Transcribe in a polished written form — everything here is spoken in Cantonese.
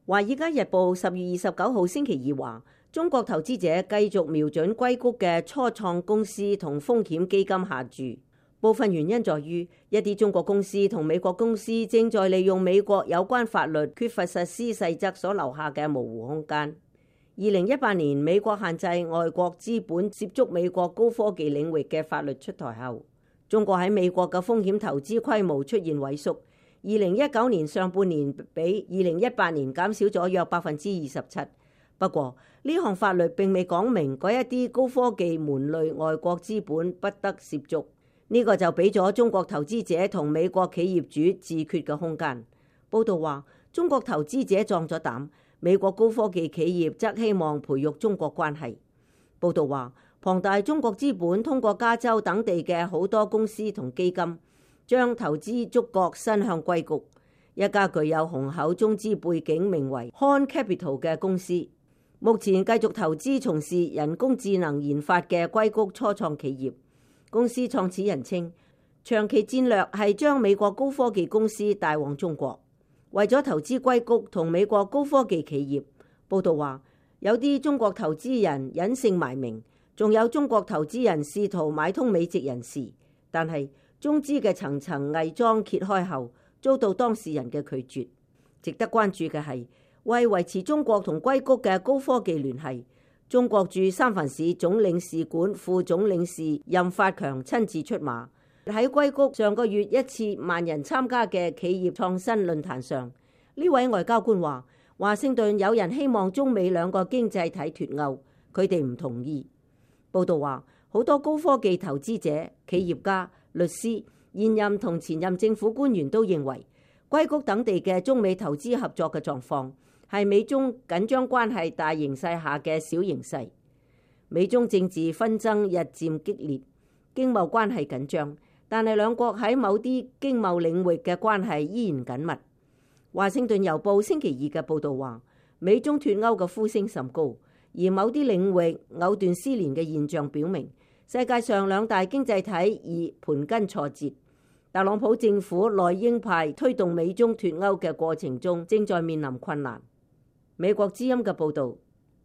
華爾街日報10月29號星期二話，中國投資者繼續瞄準硅谷嘅初創公司同風險基金下注，部分原因在於一啲中國公司同美國公司正在利用美國有關法律缺乏實施細則所留下嘅模糊空間。2018年美國限制外國資本接觸美國高科技領域嘅法律出台後，中國喺美國嘅風險投資規模出現萎縮。2019年上半年比2018年減少咗約27%。不過呢項法律並未講明嗰一啲高科技門類外國資本不得涉足，呢個就俾咗中國投資者同美國企業主自決嘅空間。報道話，中國投資者壯咗膽，美國高科技企業則希望培育中國關係。報道話，龐大中國資本通過加州等地嘅好多公司同基金，將投資觸角伸向硅谷，一家具有雄厚中資背景名為 HORN Capital 嘅公司，目前繼續投資從事人工智能研發嘅硅谷初創企業。公司創始人稱，長期戰略係將美國高科技公司帶往中國。為咗投資硅谷同美國高科技企業，報道話有啲中國投資人隱姓埋名，仲有中國投資人試圖買通美籍人士，但係中資嘅層層偽裝揭開後，遭到當事人嘅拒絕。值得關注嘅係，為維持中國同硅谷嘅高科技聯繫，中國駐三藩市總領事館副總領事任發強親自出馬。喺硅谷上個月一次萬人參加嘅企業創新論壇上，呢位外交官話，華盛頓有人希望中美兩個經濟體脫鈎，佢哋唔同意。報道話，好多高科技投資者、企業家、律師、現任同前任政府官員都認為，硅谷等地嘅中美投資合作嘅狀況係美中緊張關係大形勢下嘅小形勢。美中政治紛爭日漸激烈，經貿關係緊張，但係兩國喺某啲經貿領域嘅關係依然緊密。華盛頓郵報星期二嘅報導話，美中脫鈎嘅呼聲甚高，而某啲領域藕斷絲連嘅現象表明，世界上兩大經濟體已盤根錯節。特朗普政府內鷹派推動美中脫鈎嘅過程中，正在面臨困難。美國之音嘅報導